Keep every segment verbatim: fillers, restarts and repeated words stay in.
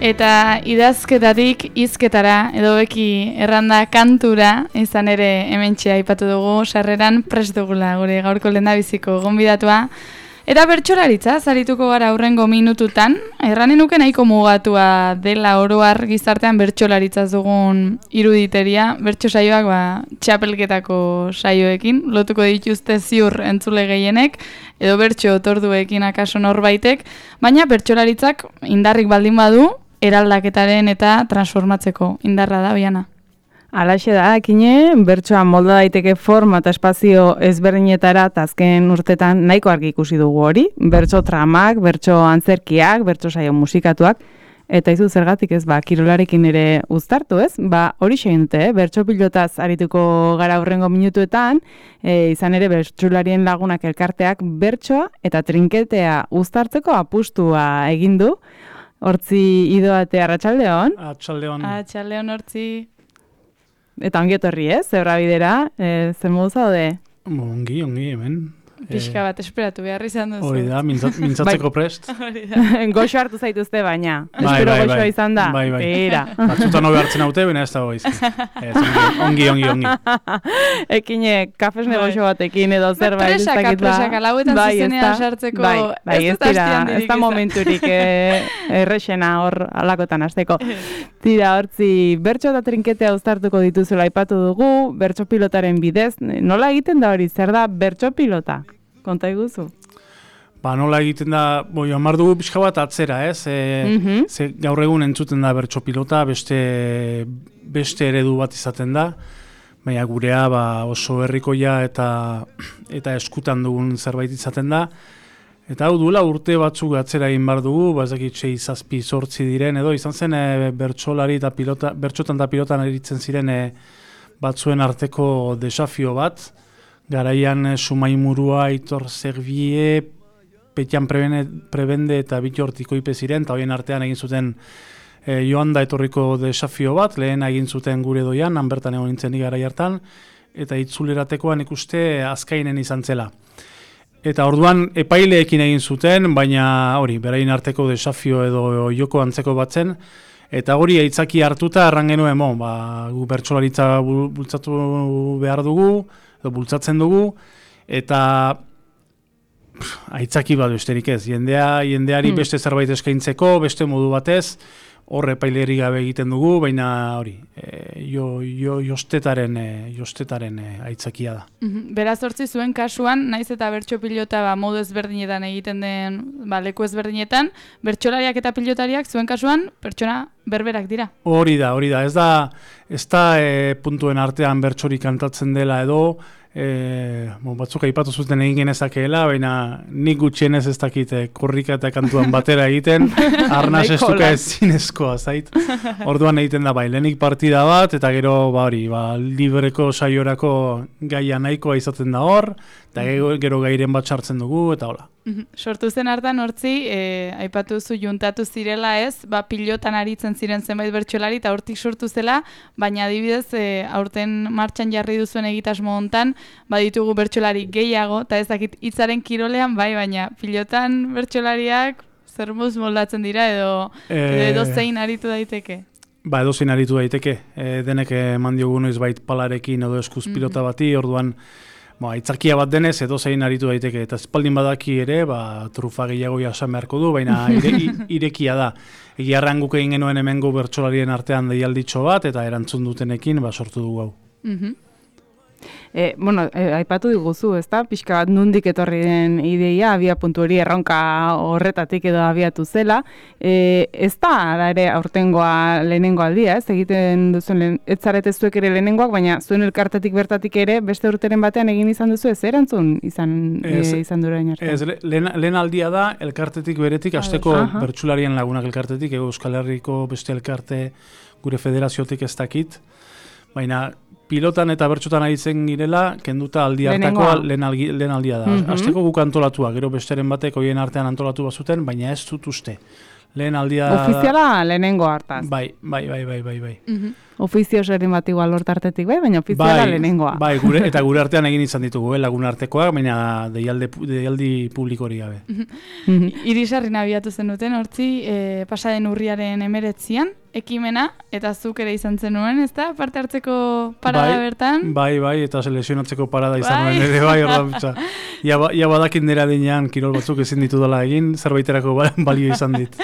eta idazketatik hizketara edo beki erranda kantura izan ere hementxe aipatu dugu sarreran prest dugula gure gaurko lehendabiziko gonbidatua. Eta bertsolaritza zarituko gara aurrengo minututan, erranen nuke nahiko mugatua dela oro har gizartean bertsolaritzaz dugun iruditeria, bertso saioak ba, txapelketako saioekin, lotuko dituzte ziur entzule gehienek, edo bertso otorduekin akaso norbaitek, baina bertsolaritzak indarrik baldin badu, eraldaketaren eta transformatzeko indarra da, Oiana. Alaxe da, ekine, bertsoa molda daiteke forma eta espazio ezberdinetara eta azken urtetan nahiko argi ikusi dugu hori. Bertso tramak, bertso antzerkiak, bertso saio musikatuak, eta izu zergatik ez, ba, kirolarekin ere uztartu ez, ba, hori segin dute, eh? Bertso pilotaz arituko gara hurrengo minutuetan, e, izan ere bertsolarien lagunak elkarteak bertsoa eta trinketea uztartzeko apustua egin du. Hortzi idoate arratsaldeon. Arratsaldeon. Arratsaldeon hortzi. Eta ongi etorri ez, zebra bidera, e, zer modu zaude? Ongi, ongi, hemen. Pixka bat esperatu behar izan duzu. Hori da, mintzat, mintzatzeko prest. Goxo hartu zaituzte baina. Bai, Espero bai, goxoa bai. izan da. Bai, bai. Beira. Batzutan hobe hartzen haute, baina ez da goiz. Ongi, ongi, ongi. Ekine, kafesne Bai. goxo batekin edo zerbait. ez Presaka, dakit ba. presaka, lauetan Bai, zuzenean ez da. sartzeko Bai, bai, ez ez dut dira, hastiandirik ez da izan. momenturik eh, errexena hor alakotan hasteko. Tira, hortzi, bertso eta trinketea uztartuko dituzula aipatu dugu, bertso pilotaren bidez. Nola egiten da hori, zer da bertso pilota? Konta iguzu. Ba, nola egiten da, boi, hamar dugu pixka bat atzera, ez? E, Mhm. ze gaur egun entzuten da bertso pilota, beste, beste eredu bat izaten da, baina gurea ba, oso herrikoia eta, eta eskutan dugun zerbait izaten da. Eta hau duela urte batzuk atzera egin bar dugu, ba, ez dakit sei zazpi zortzi diren, edo izan zen e, bertsolari eta pilota, bertsotan eta pilotan eritzen ziren e, batzuen arteko desafio bat. Garaian e, Sumaimurua, Aitor Zerbie, Petian prebene, Prebende eta Bitor Tikoipe ziren, eta horien artean egin zuten e, joan da etorriko desafio bat, lehen egin zuten gure doian, han bertan egon nintzen garai hartan, eta itzuleratekoan ikuste azkainen izan zela. Eta orduan epaileekin egin zuten, baina hori, beraien arteko desafio edo joko antzeko batzen, eta hori aitzaki hartuta erran genuen, mo, ba, gu bertsolaritza bultzatu behar dugu, edo bultzatzen dugu, eta pff, aitzaki bat besterik ez, jendea, jendeari Hmm. beste zerbait eskaintzeko, beste modu batez, horre epaileri gabe egiten dugu, baina hori, e, jo, jo, jostetaren, e, jostetaren e, aitzakia da. Mhm. Beraz hortzi zuen kasuan, naiz eta bertso pilota ba, modu ezberdinetan egiten den, ba, leku ezberdinetan, bertsolariak eta pilotariak zuen kasuan pertsona berberak dira. Hori da, hori da, ez da, ez da e, puntuen artean bertsorik kantatzen dela edo, e, bon, batzuk aipatu zuten egin genezakeela, baina nik gutxienez ez dakit e, korrika eta kantuan batera egiten, arnaz Nahiko estuka lan. ezinezkoa, zait. Orduan egiten da, bai, lehenik partida bat, eta gero, ba, hori, ba, libreko saiorako gaia nahikoa izaten da hor, eta gero, gero gairen bat sartzen dugu, eta hola. Mhm. Sortu zen hartan hortzi, e, aipatu zu juntatu zirela ez, ba, pilotan aritzen ziren zenbait bertsolari eta hortik sortu zela, baina adibidez e, aurten martxan jarri duzuen egitasmo hontan, baditugu bertsolari gehiago, eta ez dakit hitzaren kirolean bai, baina pilotan bertsolariak zer moz moldatzen dira edo, Eh, edo zein aritu daiteke. Ba, edozein aritu daiteke, e, denek eman diogu noizbait palarekin edo eskuz pilota bati, orduan ba, aitzakia bat denez edozein aritu daiteke, eta espaldin badaki ere, ba, trufa gehiago jasan beharko du, baina ire, i- irekia da. Egiarran guk egin genuen hemengo bertsolarien artean deialditxo bat, eta erantzun dutenekin ba, sortu dugu hau. Mhm. E, bueno, e, aipatu diguzu, ezta? Pixka bat nundik etorri den ideia, abia puntu hori erronka horretatik edo abiatu zela. E, ez da, ala ere, aurtengoa lehenengo aldia, ez? Egiten duzuen, lehen, ez zarete zuek ere lehenengoak, baina zuen elkartetik bertatik ere, beste urteren batean egin izan duzu, ez erantzun izan, Ez, e, izan durain arte? Ez, le- lehen, lehen aldia da, elkartetik beretik, asteko Aha. bertsularien lagunak elkartetik, ego Euskal Herriko beste elkarte gure federaziotik ez dakit, baina pilotan eta bertsotan aritzen girela, kenduta aldi hartakoa Lehenengoa. lehen, algi- lehen aldia da. Mhm. Asteko guk antolatua, gero besteren batek hoien artean antolatu bazuten, baina ez dut uste. Lehen aldia... Ofiziala lehenengo hartaz. Bai, bai, bai, bai, bai, bai. Mhm. ofizio zerin bat igual hortartetik, bai, baina ofiziala bai, lehenengoa. Bai, gure, eta gure artean egin izan ditugu, eh, lagun artekoak, baina deialde, deialdi publikori gabe. Irisarri nabiatu zenuten, hortzi, e, pasaden urriaren emeretzian, ekimena, eta zuk ere izan zenuen, ez da? Parte hartzeko parada bai, bertan? Bai, bai, eta selekzionatzeko parada izan Bai. nuen ere, bai, orda, ja, ba, ja badakin nera dinean kirol batzuk ezin ditu dela egin, zerbaiterako ba- balio izan dit.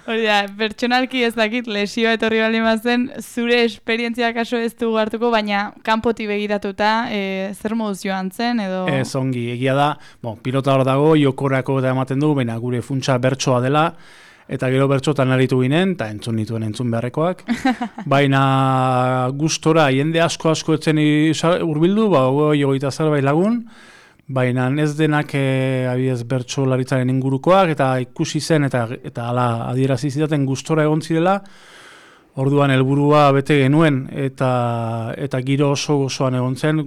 Hori da, pertsonalki ez dakit, lesioa etorri bali mazen, zure esperientzia kaso ez dugu hartuko, baina kanpoti begiratuta, e, zer moduz joan zen, edo... Ez ongi, egia da, bon, pilota hor dago, jokorako eta ematen du, baina gure funtsa bertsoa dela, eta gero bertxotan aritu ginen, eta entzun nituen entzun beharrekoak. Baina gustora, jende asko asko etzen hurbildu, ba, hogei hogeita zerbait lagun, baina ez denak e, abiez bertsolaritzaren ingurukoak, eta ikusi zen, eta eta hala adierazi zidaten gustora egon zirela, orduan helburua bete genuen, eta eta giro oso osoan egon zen,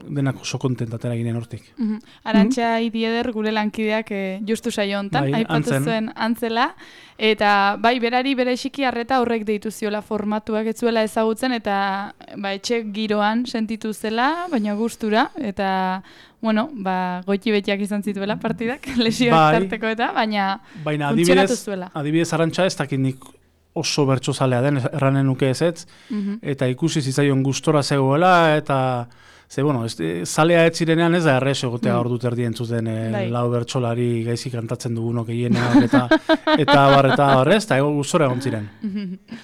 denak oso kontentatera ginen hortik. Mm -hmm. Arantxa Idieder gure lankideak e, justu saio hontan, Bai, aipatu antzen. zuen antzela, eta bai berari berexiki harreta horrek deitu ziola formatuak ez zuela ezagutzen, eta ba, etxe giroan sentitu zela, baina gustura, eta bueno, ba, goiti betiak izan zituela partidak, lesioak Bai. tarteko eta, baina, Baina funtzionatu adibidez, zuela. adibidez Arantxa ez dakit nik oso bertsozalea den, erranen nuke ezetz, Mhm. eta ikusi zitzaion gustora zegoela, eta ze, bueno, ez, e, zalea ez zirenean ez da errez egotea Mm. ordu terdi entzuten e, Bai. lau bertsolari gaizki kantatzen dugunok gehienak, eta eta bar, eta bar, ez, eta ego gustora egon ziren.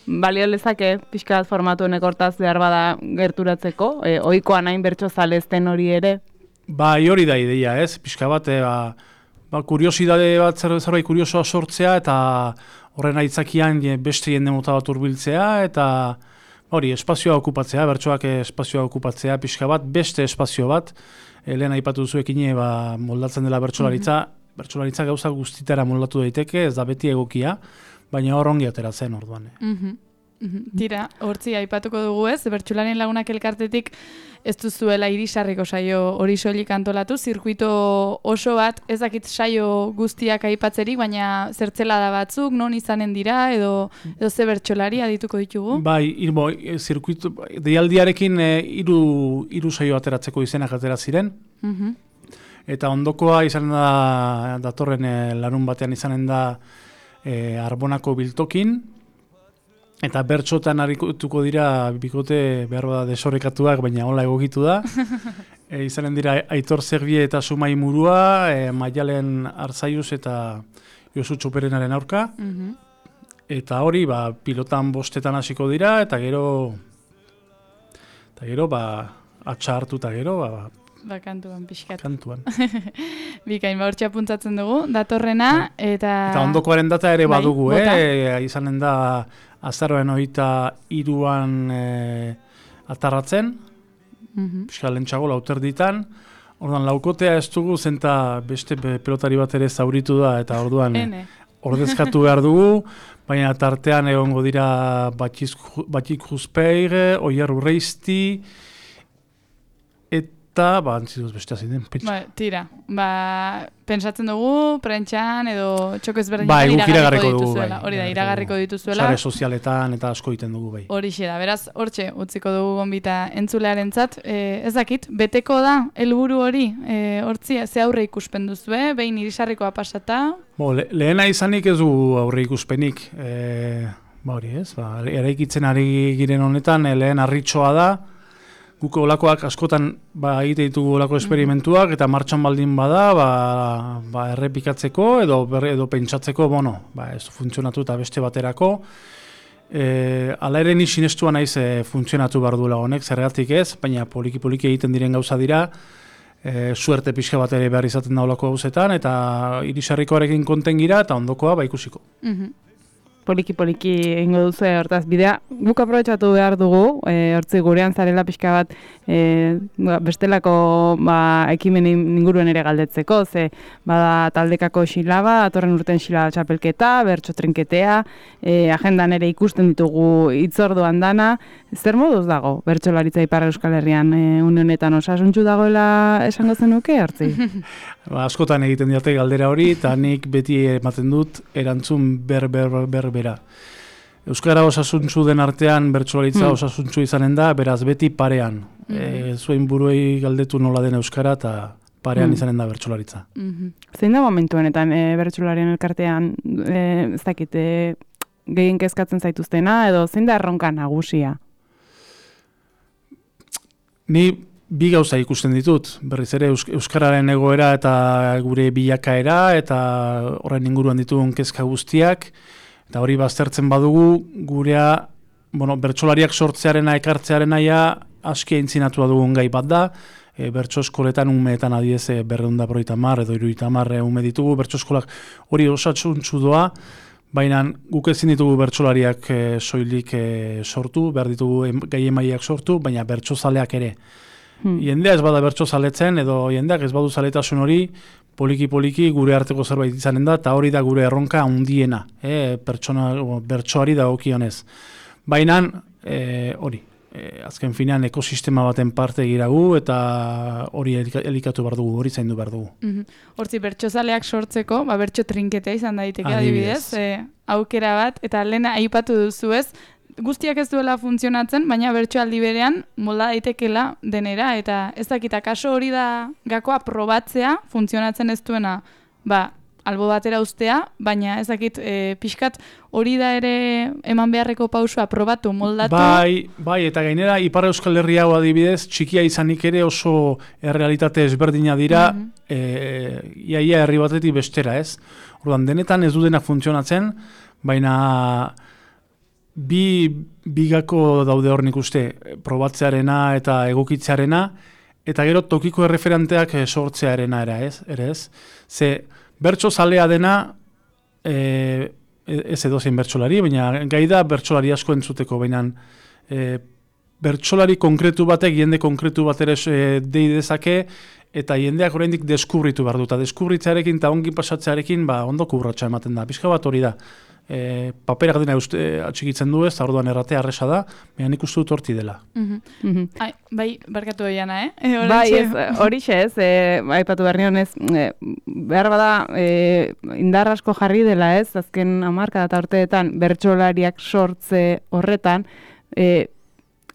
Balio lezake, pixka bat formatu honek hortaz behar bada gerturatzeko, e, ohikoa nahin bertso zalezten hori ere. Bai, hori da ideia, ez, pixka bat, e, ba, ba, kuriosidade bat, zer, zerbait kuriosoa sortzea, eta horren aitzakian je, beste jende mota bat hurbiltzea, eta hori, espazioa okupatzea, bertsoak espazioa okupatzea, pixka bat, beste espazio bat, e, lehen aipatu duzuekin ba, moldatzen dela bertsolaritza, bertsolaritza gauza guztitara moldatu daiteke, ez da beti egokia, baina hor ongi ateratzen orduan. Eh. Mhm. Mhm. Tira, hortzi aipatuko dugu ez, bertsularien lagunak elkartetik ez duzuela irisarriko saio hori soilik antolatu, zirkuito oso bat, ez dakit saio guztiak aipatzerik, baina zertzelada batzuk, non izanen dira, edo, edo ze bertsolari adituko ditugu? Bai, irbo, e, zirkuito, deialdiarekin e, iru, iru saio ateratzeko izenak atera ziren, Mhm. eta ondokoa izanen da, datorren e, larun batean izanen da e, Arbonako biltokin, eta bertsotan harituko dira bikote behar bada desorekatuak, baina hola egokitu da. e, izanen dira Aitor Zerbie eta Sumai Murua, e, Maialen Arzaiuz eta Josu Txoperenaren aurka. Mhm. Eta hori, ba, pilotan bostetan hasiko dira, eta gero, eta gero, ba, atxa hartu eta gero, ba, Ba, kantuan pixkat. kantuan. Bikain, ba, hortxe apuntatzen dugu, datorrena, eta... Eta ondokoaren data ere Bai, badugu, bota. eh? Izanen da azaroen hogeita hiruan e, atarratzen, Mhm. pixka lentsago lauter ditan, orduan laukotea ez dugu, zenta beste pe- pelotari bat ere zauritu da, eta orduan e, Ene. ordezkatu behar dugu, baina tartean egongo dira Batik Juspeir, Oier Urreizti, eta, ba, antziduz beste aziden, pentsa. Ba, tira, ba, pentsatzen dugu, prentxan, edo txoko ezberdinetan Bai, guk iragarriko iragarriko dugu, dituzuela. bai, Hori da, iragarriko iragarriko dugu. dituzuela. Sare sozialetan eta asko egiten dugu, bai. Horixe da, beraz, hortxe, utziko dugu gonbita entzulearentzat. E, ez dakit, beteko da, helburu hori, e, hortzi, ze aurre ikuspen duzue, behin irisarrikoa pasata. Bo, le, lehena izanik ez du aurre ikuspenik, e, ba hori ez, ba, eraikitzen ari giren honetan, e, lehen harritxoa da, guk olakoak askotan ba, egite ditugu olako esperimentuak, eta martxan baldin bada, ba, ba, errepikatzeko edo, berre, edo pentsatzeko, bueno, ba, ez du funtzionatu eta beste baterako. E, ala ere ni sinestua naiz e, funtzionatu behar duela honek, zergatik ez, baina poliki-poliki egiten diren gauza dira, e, suerte pixka bat ere behar izaten da olako gauzetan, eta irisarrikoarekin konten gira, eta ondokoa ba ikusiko. Mhm. Poliki-poliki egingo duzu hortaz bidea. Guk aprobetxatu behar dugu, e, hortzi gurean zarela pixka bat e, ba, bestelako ba, ekimen inguruen ere galdetzeko, ze bada taldekako xilaba, atorren urten xilaba txapelketa, bertso trinketea, e, agendan ere ikusten ditugu hitzorduan dana. Zer moduz dago bertsolaritza Ipar Euskal Herrian e, une honetan osasuntsu dagoela esango zenuke, hortzi? Ba, askotan egiten diate galdera hori, eta nik beti ematen dut erantzun ber, ber, ber, bera. Euskara osasuntzu den artean bertsolaritza Hmm. osasuntzu izanen da, beraz beti parean. Mhm. E, zuen buruei galdetu nola den euskara eta parean Hmm. izanen da bertsolaritza. Mhm. Zein da momentu honetan e, bertsolarien elkartean, e, ez dakit, e, gehien kezkatzen zaituztena, edo zein da erronka nagusia? Ni bi gauza ikusten ditut, berriz ere eus, euskararen egoera eta gure bilakaera eta horren inguruan ditugun kezka guztiak, eta hori baztertzen badugu gurea, bueno, bertsolariak sortzearena, ekartzearena ja aski aintzinatua dugun gai bat da. E, bertso eskoletan umeetan adiez e, berreunda broita mar edo iruita mar e, ume ditugu, bertso eskolak hori osatsuntzu doa, baina guk ezin ditugu bertsolariak e, soilik e, sortu, behar ditugu em, gai emaileak sortu, baina bertsozaleak ere. Hmm. Jendea ez bada bertso zaletzen, edo jendeak ez badu zaletasun hori, poliki-poliki gure arteko zerbait izanen da, eta hori da gure erronka handiena, e, pertsona, o, bertsoari dagokionez. Baina e, hori, e, azken finean ekosistema baten parte giragu, eta hori elika- elikatu behar dugu, hori zaindu behar dugu. Mhm. Hortzi, bertsozaleak sortzeko, ba, bertso trinketea izan daiteke Adibidez. adibidez, e, aukera bat, eta lehena aipatu duzu ez, guztiak ez duela funtzionatzen, baina bertso aldi berean molda daitekela denera, eta ez dakita, kaso hori da gakoa probatzea, funtzionatzen ez duena, ba, albo batera ustea, baina ez dakit, e, pixkat hori da ere eman beharreko pausua probatu, moldatu. Bai, bai, eta gainera Ipar Euskal Herria hau adibidez, txikia izanik ere oso errealitate ezberdina dira, Mhm. e, iaia herri batetik bestera, ez? Orduan, denetan ez du denak funtzionatzen, baina bi bigako daude hor nik uste, probatzearena eta egokitzearena, eta gero tokiko erreferenteak eh, sortzearena era, ez? Ere ez? Ze bertso zalea dena, e, ez edozein bertsolari, baina gai da bertsolari asko entzuteko, baina e, bertsolari konkretu batek, jende konkretu bat ere e, dei dezake, eta jendeak oraindik deskubritu behar du, eta deskubritzearekin eta ongi pasatzearekin ba, ondo kurratxa ematen da. Pixka bat hori da. E, paperak dena uste, atxikitzen du ez, eta orduan erratea arresa da, baina nik uste dut horti dela. Mhm. Mhm. Ai, bai, barkatu oiana, eh? E, Bai, oraintxe- ez, horixe ez, e, aipatu behar nion ez, e, behar bada e, indar asko jarri dela ez, azken hamarkada eta urteetan bertsolariak sortze horretan, e,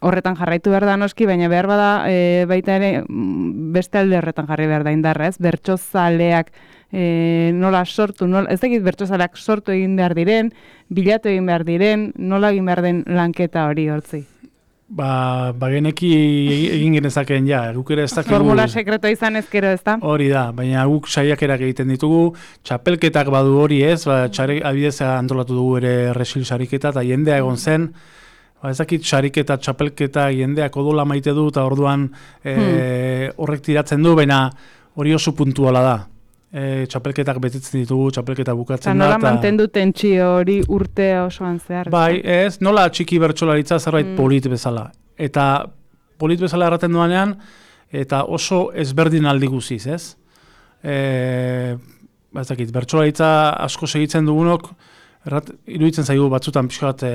horretan jarraitu behar da noski, baina behar bada e, baita ere mm, beste alde horretan jarri behar da indarra ez, bertsozaleak e, nola sortu, nola, ez dakit bertsozaleak sortu egin behar diren, bilatu egin behar diren, nola egin behar den lanketa hori hortzi. Ba, bageneki egin genezakeen ja, guk ere ez dakigu... Formula sekretua izan ezkero ez da? Hori da, baina guk saiakerak egiten ditugu, txapelketak badu hori ez, ba, txare, abidez antolatu dugu ere resil sariketa, eta jendea egon zen, ba, ez dakit sariketa, txapelketa, jendeak odola maite du, eta orduan e, horrek tiratzen du, baina hori oso puntuala da. E, txapelketak betetzen ditugu, txapelketa Eta bukatzen da. nola mantendu tentsio hori urte osoan zehar? Bai, ez, nola txiki bertsolaritza zerbait Mm. polit bezala. Eta polit bezala erraten duanean, eta oso ezberdin aldi guziz, ez? E, ba, ez dakit, bertsolaritza asko segitzen dugunok, errat, iruditzen zaigu batzutan pixka bat e,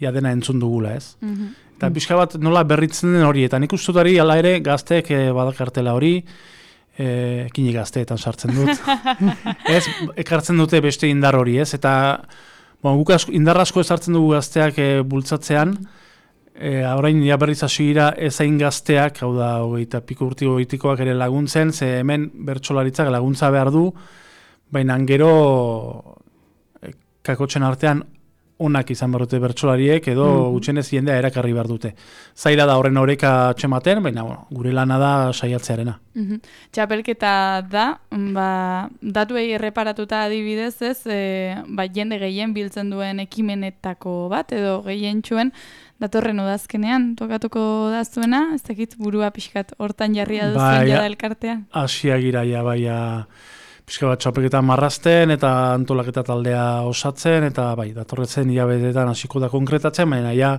ja dena entzun dugula, ez? Mhm. Eta pixka bat nola berritzen den hori, eta nik uste dut hori, ala ere, gazteek e, badakartela hori, e, kini gazteetan sartzen dut. Ez, ekartzen dute beste indar hori, ez? Eta bon, guk asko, indar asko ezartzen dugu gazteak e, bultzatzean, e, orain ja berriz hasi dira ezain gazteak, hau da, hogeita piko urtiko goitikoak ere laguntzen, ze hemen bertsolaritzak laguntza behar du, baina gero e, kakotzen artean onak izan behar dute bertsolariek, edo Mhm. gutxienez jendea erakarri behar dute. Zaila da horren oreka txematen, baina bueno, gure lana da saiatzearena. Mhm. Txapelketa da, ba, datuei erreparatuta adibidez ez, e, ba, jende gehien biltzen duen ekimenetako bat, edo gehien txuen, datorren udazkenean tokatuko da zuena, ez dakit burua pixkat hortan jarria duzuen Bai, jada elkartean. Asiak iraia, baia pixka bat txapelketa marrazten eta antolaketa taldea osatzen, eta bai, datorretzen hilabetetan hasiko da konkretatzen, baina ja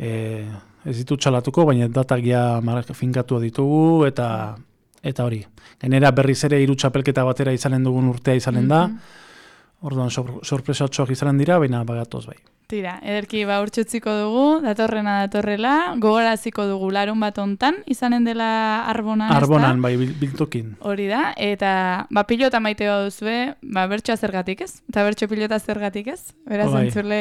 e, ez ditut txalatuko, baina datak ja finkatu ditugu, eta eta hori. Gainera berriz ere hiru txapelketa batera izanen dugun urtea izanen da, Mhm. orduan sor, sorpresatxoak izanen dira, baina bagatoz bai. Tira, ederki ba urtsutziko dugu, datorrena datorrela, gogoraziko dugu larun bat hontan, izanen dela Arbonan, Arbonan, bai, biltokin. Hori da, eta ba, pilota maite baduzue, ba, bertsoa zergatik ez? Eta bertso pilota zergatik ez? Beraz, bai. entzule,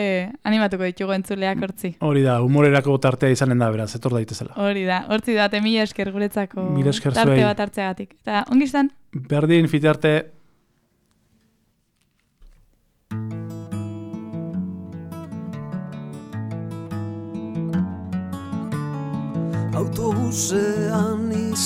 animatuko ditugu entzuleak hortzi. Hori da, humorerako tartea izanen da, beraz, etor daitezela. Hori da, hortzi da, mila esker guretzako Mila esker tarte zuei. bat hartzeagatik. Eta, ongi izan? Berdin, fitarte. Autobusean